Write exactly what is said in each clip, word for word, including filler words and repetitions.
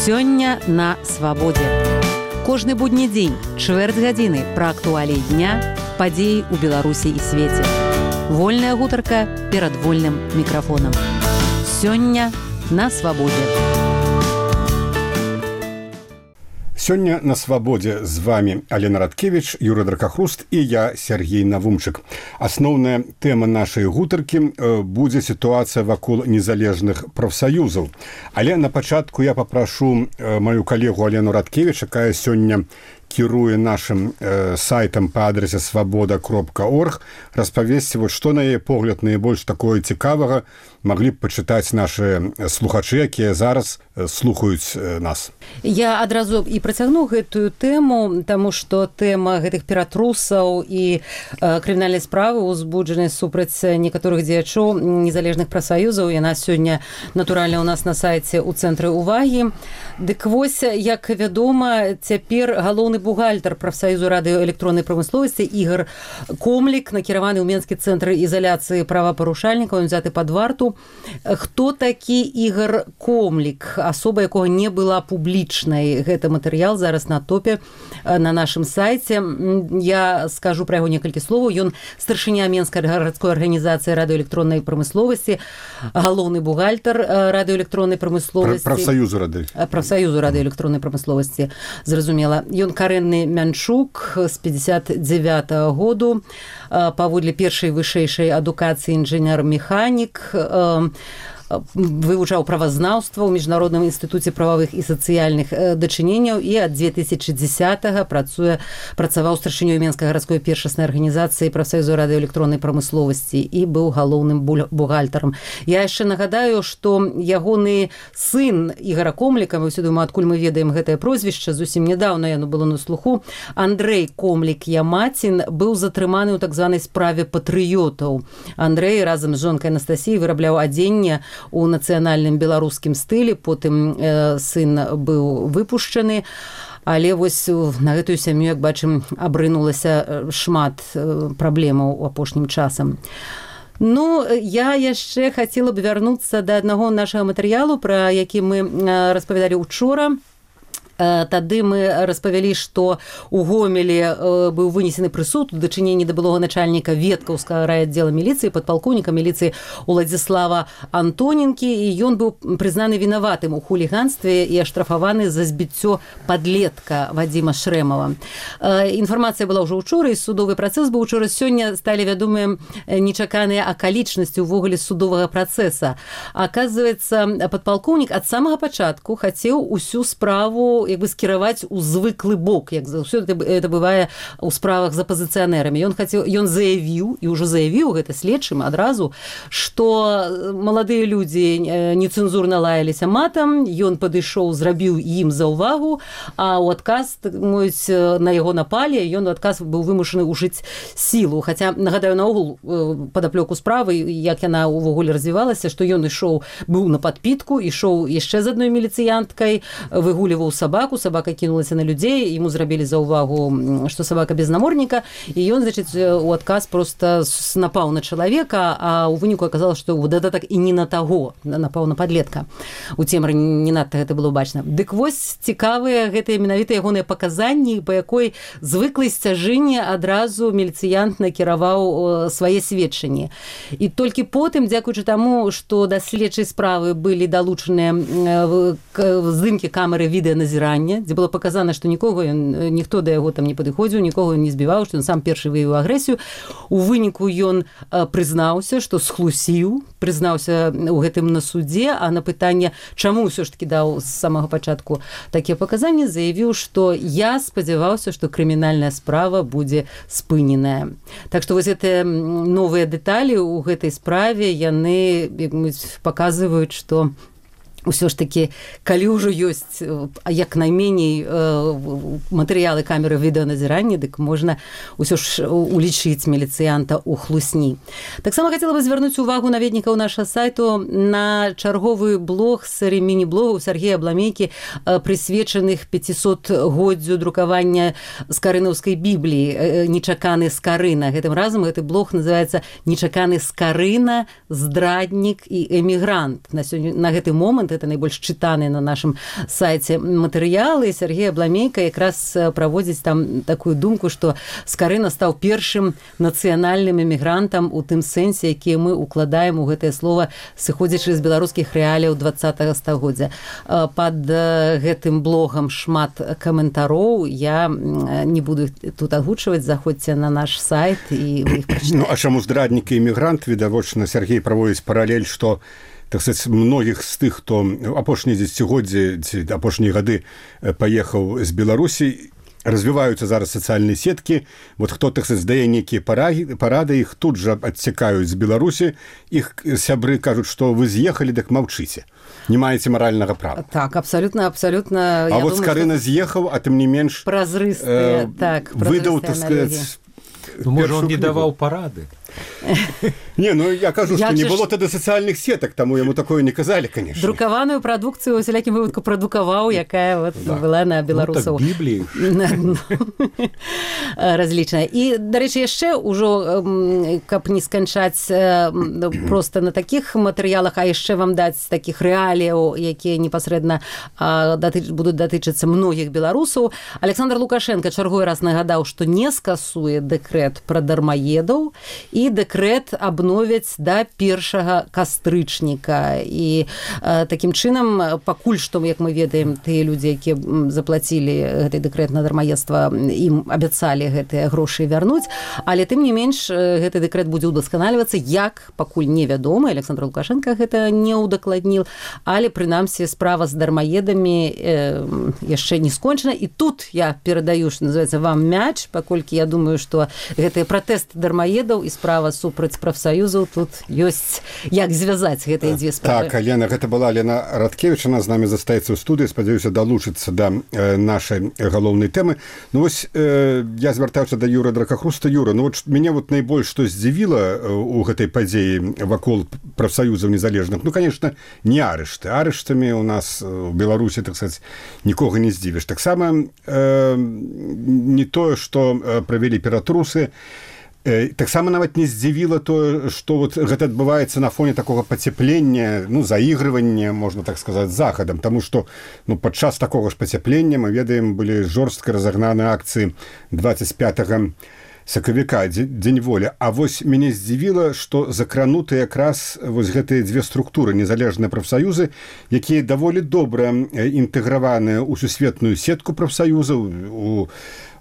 Сёння на свабодзе. Кожны будні дзень, чвэрць гадзіны пра актуаліі дня, падзеі ў Беларусі і свеце. Вольная гутарка перад вольным мікрафонам. Сёння на свабодзе. Сёння на свабодзе з вами Алена Радкевіч, Юрый Дракахруст і я, Сергей Навумчык. Асноўная тэма нашай гутаркі будзе сітуацыя вакол незалежных прафсаюзаў. Але на пачатку я папрашу маю калегу Алену Радкевіч, якая сёння кіруе нашым э, сайтам па адрасе свабода кропка орг, распавесці, вот, што на яе погляд найбольш такое цікавага маглі б пачытаць нашы слухачы, якія зараз э, слухаюць э, нас. Я адразу і працягну гэтую тэму, таму што тэма гэтых ператрусаў і э, крымінальнай справы, узбуджанай супраць некаторых дзеячоў незалежных прафсаюзаў, яна сёння натуральна ў нас на сайце ў цэнтры ўвагі. Дык вось, як вядома, цяпер галоўны бухгалтар прафсаюзу радыёэлектроннай прамысловасці Ігор Комлік, накіраваны ў Менскі цэнтр ізаляцыі правапарушальнікаў, узяты пад варту. Хто такі Ігор Комлік? Асоба, якога не была публічнай. Гэта матэрыял зараз на топе на нашым сайце. Я скажу пра яго некалькі словаў. Ён старшыня Менскай гарадской арганізацыі радыёэлектроннай прамысловасці, галоўны бухгалтар радыёэлектроннай прамысловасці. Прафсаюзу рады. Прафсаюзу радыёэлектроннай прамысловасці, зразумела. Ён карэнны мянчук з пятьдесят девятого году, паводле першай вышэйшай адукацыі інжынер-механік, вывучаў правазнаўства ў міжнародным інстытуце прававых і сацыяльных дачыненняў і ад две тысячы дзесятого працуе працаваў старшынёй Менскай гарадской першаснай арганізацыі прафсаюзу радыёэлектроннай прамысловасці і быў галоўным бухгалтарам. Я яшчэ нагадаю, што ягоны сын Ігора Комліка, мы ўсё думаю, адкуль мы ведаем гэтае прозвішча, зусім нядаўна яно было на слуху, Андрэй Комлік-Ямацін быў затрыманы ў так званай справе патрыётаў. Андрэй разам з жонкай Анастасіяй вырабляў адзенне у нацыянальным беларускім стылі, потым э, сын быў выпушчаны, але вось на гэтую сям'ю, як бачым, абрынулася шмат э, праблемаў у апошнім часам. Ну, я яшчэ хацела б вярнуцца да аднаго нашага матэрыялу, пра які мы э, распавядалі учора. Тады мы распавялі, што у Гомелі быў вынесены прысуд у дачыненні да былога начальніка Веткаўскага райаддзела міліцыі, падпалкоўніка міліцыі Уладзіслава Антоненкі, і ён быў прызнаны вінаватым у хуліганстве і аштрафаваны за збіццё падлетка Вадзіма Шрэмава. Інфармацыя была ўжо ўчора, і судовы працэс быў учора. Сёння сталі вядомыя нечаканыя акалічнасці ўвогуле судовага працэса. Аказваецца, падпалкоўнік ад самага пачатку хацеў усю справу як бы скіраваць у звыклы бок, як заўсёды это бывае ў справах з апазіцыянэрамі. Ён хацеў, ён заявіў, і ўжо заявіў гэта следчым адразу, што маладыя людзі нецэнзурна лаяліся матам, ён падышоў, зрабіў ім заўвагу, а ў адказ, мовіць, на яго напалі, ён у адказ быў вымушаны ўжыць сілу. Хаця, нагадаю, наогул падаплёку справы, як яна ўвогуле развівалася, што ён ішоў, быў на падпітку, ішоў яшчэ з адной міліцыянткай, выгуліваў сабаку, собака кинулася на людей, ему зрабілі заўвагу, что собака без намордника, и он, значит, у адказ просто напал на человека, а у выніку оказалось, что вот это так и не на того, напал на подлетка. У цемры не надто гэта было бачна. Дык вось цікавыя гэтыя менавіта ягоныя паказанні, па якой звыклай сцяжыне адразу міліцыянт накіраваў свае сведчанні. І толькі потым, дзякуючы таму, што да следчай справы былі далучаныя здымкі камеры відэаназірання, дзе было паказана, што нікога ён, ніхто да яго там не падыходзіў, нікога не збіваў, што ён сам першы выявіў агрэсію. У выніку ён прызнаўся, што схлусіў, прызнаўся ў гэтым на судзе, а на пытанне, чаму ўсё ж такі даў з самага пачатку такія паказанні, заявіў, што я спадзяваўся, што крымінальная справа будзе спыненая. Так што вось гэтыя новыя дэталі ў гэтай справе, яны паказваюць, што ўсё ж такі, калі ўжо ёсць як найменей матэрыялы камеры відэаназірання, дык можна ўсё ж улічыць міліцыянта ў хлусні. Таксама хацела бы звярнуць увагу наведнікаў нашага сайту на чарговы блог серыі міні-блогаў Сергея Абламейкі, прысвечаных пяцісотгоддзю друкавання скарынаўскай бібліі «Нечаканы Скарына». Гэтым разам гэты блог называецца «Нечаканы Скарына, здраднік і эмігрант». На, сёння, на гэты момант фонд, это найбольш чытаны на нашым сайце матэрыялы. Сергей Абламейка якраз праводзіць там такую думку, што Скарына стаў першым нацыянальным эмігрантам у тым сэнсе, які мы укладаем у гэтае слова, сыходзячы з беларускіх рэаліяў двадцатага стагоддзя. Пад гэтым блогам шмат каментароў, я не буду тут агучваць, заходзьце на наш сайт і вы іх прачытаеце. Ну, а чаму здраднік і эмігрант, відавочна, Сергей праводзіць паралель, што так сказать, многіх з тых, хто апошнія дзесяцігоддзі ці апошнія гады паехаў з Беларусі, развіваюцца зараз сацыяльныя сеткі. Вот хто, так сказать, здае нейкія парады, іх тут жа адсякаюць з Беларусі, іх сябры кажуць, што вы з'ехалі, так маўчыце. Не маеце маральнага права. Так, абсолютно, абсолютно. А вот Скарына з'ехаў, а тым не менш празрыстыя, так, выдаў, так сказать, ну, можа, он не даваў парады. Не, ну я кажу, что не было тогда социальных сеток, тому ему такое не казали, конечно. Друкаваную прадукцыю у всякім выпадку прадукаваў, якая вот да. была на беларусаў. Ну, так Біблію. Разлічная. І, дарэчы, яшчэ ўжо, каб не сканчаць просто на такіх матэрыялах, а яшчэ вам даць такіх рэаліяў, якія непасрэдна будуць датычыцца многіх беларусаў. Александр Лукашенко чарговы раз нагадаў, што не скасуе дэкрэт пра дармаедаў і дэкрэт абновяць да першага кастрычніка. І э, такім чынам, пакуль што, як мы ведаем, тыя людзі, якія заплацілі гэты дэкрэт на дармаедства, ім абяцалі гэтыя грошы вярнуць, але тым не менш гэты дэкрэт будзе ўдасканальвацца, як пакуль невядома, Александр Лукашенко гэта не ўдакладніл, але прынамсі справа з дармаедамі э, яшчэ не скончана. І тут я перадаю, што называецца, вам мяч, паколькі я думаю, што гэты пратэст дармаедаў і справа супраць прафсаюзаў, тут ёсць як звязаць гэтыя дзве справы. Так, Лена, гэта была Лена Радкевіч, она з намі застаецца ў студыі, спадзяюся, далучыцца да э, нашай галоўнай тэмы. Ну вось, э, я звяртаўся да Юры Дракахруста. Юра, ну вот мяне вот найбольш што здзівіла у гэтай падзеі вакол прафсаюзаў незалежных, ну, конечно, не арышты. Арыштамі у нас у Беларусі, так сказать, нікога не здзівіш. Таксама э, не тое, што э, правялі ператрусы, таксама нават не здзівіла тое, што вот гэта адбываецца на фоне такога пацяплення, ну, заігрывання, можна так сказаць, з захадам, таму што ну, падчас такога ж пацяплення, мы ведаем, былі жорстка разагнаны акцыі двадцать пятага сакавіка, дзень волі. А вось мяне здзівіла, што закрануты якраз вось гэтыя дзве структуры, незалежныя прафсаюзы, якія даволі добра інтэграваныя ў сусветную сетку прафсаюзаў,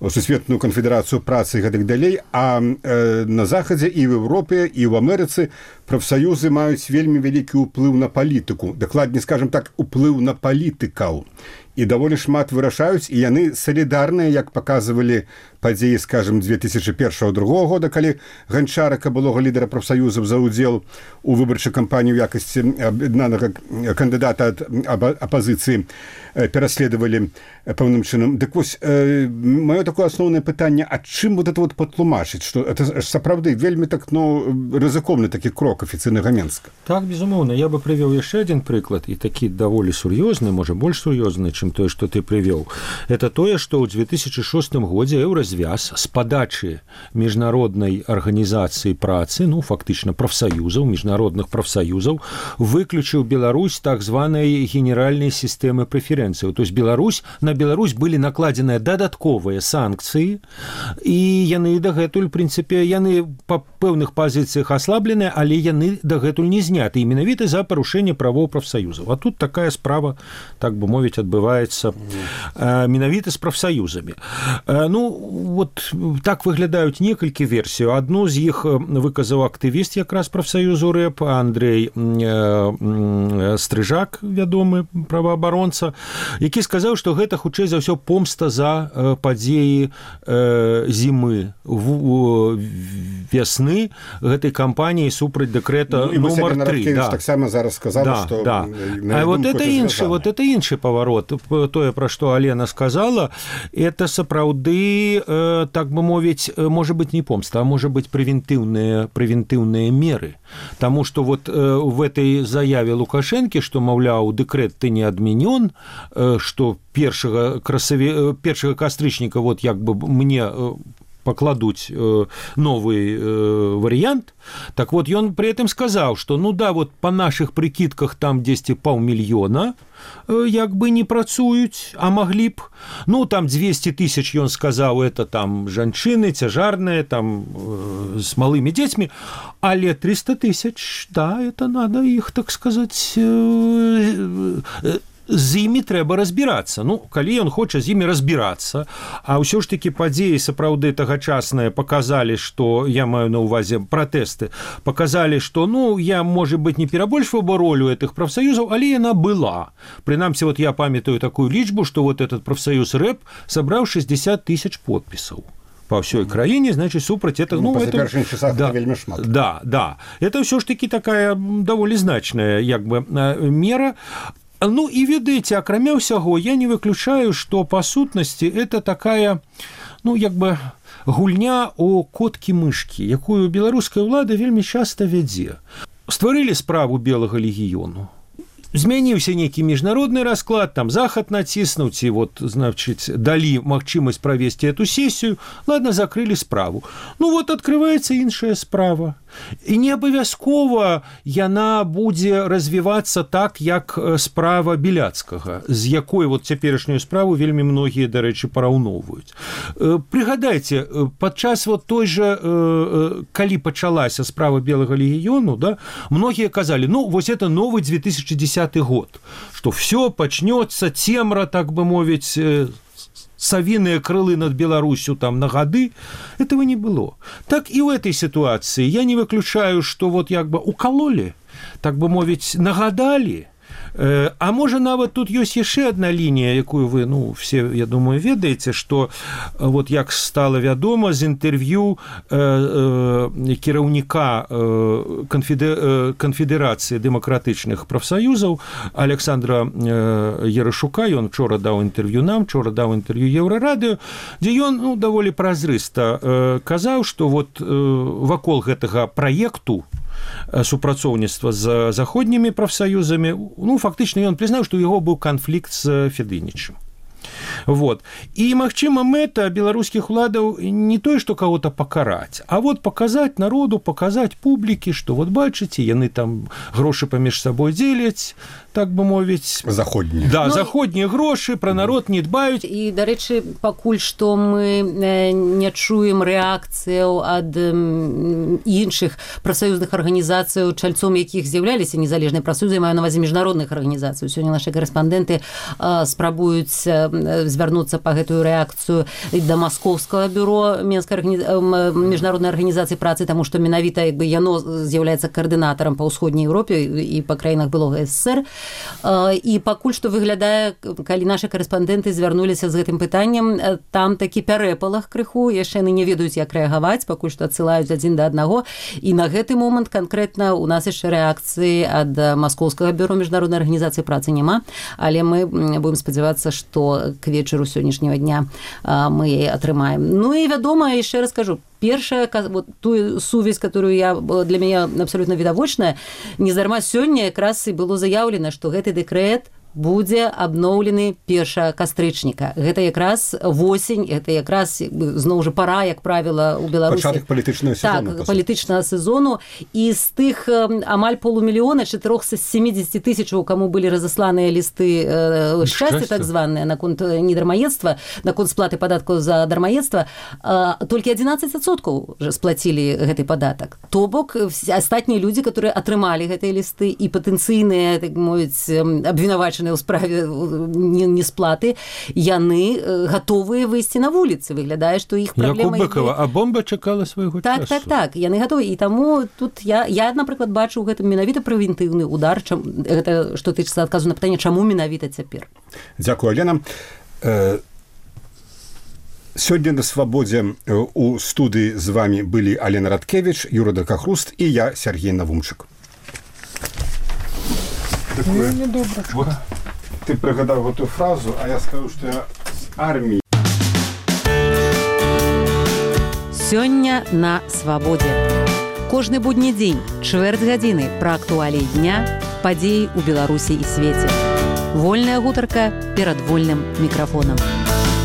у сусветную канфедэрацыю працы і гэтак далей, а э, на захадзе і в Европе, і ў Амерыцы прафсаюзы маюць вельмі вялікі ўплыў на палітыку, дакладней, скажем так, уплыў на палітыкаў. І даволі шмат вырашаюць, і яны салідарныя, як паказвалі падзеі, скажем, две тысячи першага другога года, калі Ганчарака, былога лідара прафсаюзаў, за ўдзел у выбарчай кампаніі ў якасці аб'яднанага кандыдата ад апазіцыі пераследавалі пэўным чынам. Дык вось, э, маё такое асноўнае пытанне, а чым вот это вот патлумачыць, што это сапраўды вельмі так, ну, рызыкоўны такі крок афіцыйнага Менска? Так, безумоўна. Я бы прывёў яшчэ адзін прыклад, і такі даволі сур'ёзны, можа, больш сур'ёзны, чым тое, што ты прывёў. Это тое, што ў две тысячи шостым годзе Еўразвяз з падачы міжнароднай арганізацыі працы, ну, фактычна прафсаюзаў, міжнародных прафсаюзаў, выключыў Беларусь так званай генеральнай сістэмы прэферэнцыяў. То есть Беларусь, на Беларусь былі накладзеныя дадатковыя санкцыі, і яны дагэтуль, в прынцыпе, яны па пэўных пазіцыях аслабленыя, але яны дагэтуль не зняты, і менавіта за парушэнне правоў прафсаюзаў. А тут такая справа, так бы мовіць, адбываецца менавіта з прафсаюзамі. Ну, вот так выглядаюць некалькі версій. Адну з іх выказаў актывіст якраз прафсаюзу рэп Андрей Стрыжак, вядомы праваабаронца, які сказаў, што гэта хутчэй за ўсё помста за падзеі зімы, вясны гэтай кампаніі супраць дэкрэта ну, нумар тры. Да. Таксама зараз сказала, да, што да. А вот это іншы, вот это іншы паварот. Тое, пра што Алена сказала, это сапраўды, э, так бы мовіць, можа быць не помста, а можа быць прэвентыўныя прэвентыўныя меры. Таму што вот э, в этой заяве Лукашэнкі, што, маўляў, дэкрэт ты не адменён, э, што першага красаві... першага кастрычніка вот як бы мне э, пакладуць новый варыянт. Так вот, ён при этом сказаў, што ну да, вот па нашых прыкідках там дзесьці паўмільёна як бы не працуюць, а маглі б. Ну, там двести тысяч, ён сказаў, это там жанчыны, цяжарныя, там э, с малымі дзецьмі, але триста тысяч, да, это надо іх, так сказать, э, э, з імі трэба разбірацца. Ну, калі ён хоча з імі разбірацца, а ўсё ж такі падзеі сапраўды тагачасныя паказалі, што, я маю на ўвазе пратэсты, паказалі, што, ну, я, можа быць, не перабольшваў бы ролю гэтых прафсаюзаў, але яна была. Прынамсі, вот я памятаю такую лічбу, што вот этот прафсаюз рэп сабраў шестьдесят тысяч подпісаў по всей краіне, значит, супраць это, ну, ну это, часах да, вельмі шмат. Да, да. Это ўсё ж такі такая даволі значная, як бы, мера. Ну, і ведаеце, акрамя ўсяго, я не выключаю, што па сутнасці это такая, ну, як бы, гульня о коткі-мышкі, якую беларуская ўлада вельмі часта вядзе. Стварылі справу белага легіёну. Змяніўся нейкі міжнародны расклад, там захад націснуць, і вот, значыць, далі магчымасць правесці эту сесію, ладно, закрылі справу. Ну, вот открываецца іншая справа. І не абавязкова яна будзе развівацца так, як справа Беляцкага, з якой вот цяперашнюю справу вельмі многія, дарэчы, параўноўваюць. Прыгадайце, падчас вот той жа, калі пачалася справа белага легіёну, да, многія казалі, ну, вось это новый две тысячи десятый год, што все пачнёцца цемра, так бы мовіць, совиные крылы над Беларусью там на гады, этого не было. Так и в этой ситуации я не выключаю, что вот як бы укололи, так бы мовить, нагадали. А можа нават тут ёсць яшчэ адна лінія, якую вы, ну, все, я думаю, ведаеце, што вот як стала вядома з інтэрв'ю э, э, кіраўніка э, канфедэ, э, канфедэрацыі дэмакратычных прафсаюзаў Александра э, Ярашука, ён учора даў інтэрв'ю нам, учора даў інтэрв'ю Еўрарадыё, дзе ён, ну, даволі празрыста э, казаў, што вот э, вакол гэтага праекту супрацоўніцтва з заходнімі прафсаюзамі, ну, фактычна ён прызнаў, што ў яго быў канфлікт з Федынічым. Вот. І, магчыма, мэта беларускіх уладаў не тое, што кого-то пакараць, а вот паказаць народу, паказаць публікі, што вот бачыце, яны там грошы паміж сабой дзеляць, так бы мовіць. Заходнія. Да, ну, заходнія грошы, пра народ не дбаюць. І, дарэчы, пакуль што мы не чуем рэакцыяў ад іншых прафсаюзных арганізацыяў, чальцом якіх з'яўляліся незалежныя прафсаюзы, маю на ўвазе міжнародных арганізацый. Сёння нашы карэспандэнты спрабуюць звярнуцца па гэтую рэакцыю да маскоўскага бюро Менскай арганиз... міжнароднай арганізацыі працы, таму што менавіта як бы яно з'яўляецца каардынатарам па ўсходняй Еўропе і па краінах былога СССР. І пакуль што выглядае, калі нашы карэспандэнты звярнуліся з гэтым пытаннем, там такі пярэпалах крыху, яшчэ яны не ведаюць, як рэагаваць, пакуль што адсылаюць адзін да аднаго. І на гэты момант канкрэтна у нас яшчэ рэакцыі ад маскоўскага бюро міжнароднай арганізацыі працы няма, але мы будем спадзявацца, што к вечару сённяшняга дня мы яе атрымаем. Ну і вядома, яшчэ раз кажу, першая, вот ту сувязь, которую я, для меня абсолютно відавочная, нездарма сёння якраз і было заяўлена, што гэты дэкрэт будзе абноўлены першага кастрычніка. Гэта якраз восень, гэта якраз зноў жа пара, як правіла, у Беларусі. Пачатак палітычнага сезону. Так, палітычнага сезону. І з тых амаль полумільёна, чатырохсот семидесяти тысячаў, каму былі разасланыя лісты э, шчасця, так званыя, наконт недармаедства, наконт сплаты падаткаў за дармаедства, э, толькі адзінаццаць адсоткаў сплацілі гэты падатак. То бок, астатнія людзі, которые атрымалі гэтыя лісты і патэнцыйныя, так мовіць, абвінавачаныя ў справе несплаты, яны гатовыя выйсці на вуліцы. Выглядае, што іх праблема... Як у Быкова, а бомба чакала свайго так, часу. Так, так, яны гатовы. І таму тут я, я напрыклад, бачу ў гэтым менавіта прэвентыўны удар, чам, гэта, што тычыцца адказу на пытанне, чаму менавіта цяпер. Дзякую, Алена. Э, сёння на свабодзе у студыі з вами былі Алена Радкевіч, Юра Дракахруст і я, Сергей Навумчык. Ну, не добра. Вот ты пригадав эту фразу, а я скажу, что я с армии. Сёння на свабодзе. Кожны будні дзень, чвэрць гадзіны пра актуаліі дня, падзеі ў Беларусі і свеце. Вольная гутарка перад вольным мікрафонам.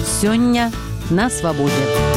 Сёння на свабодзе.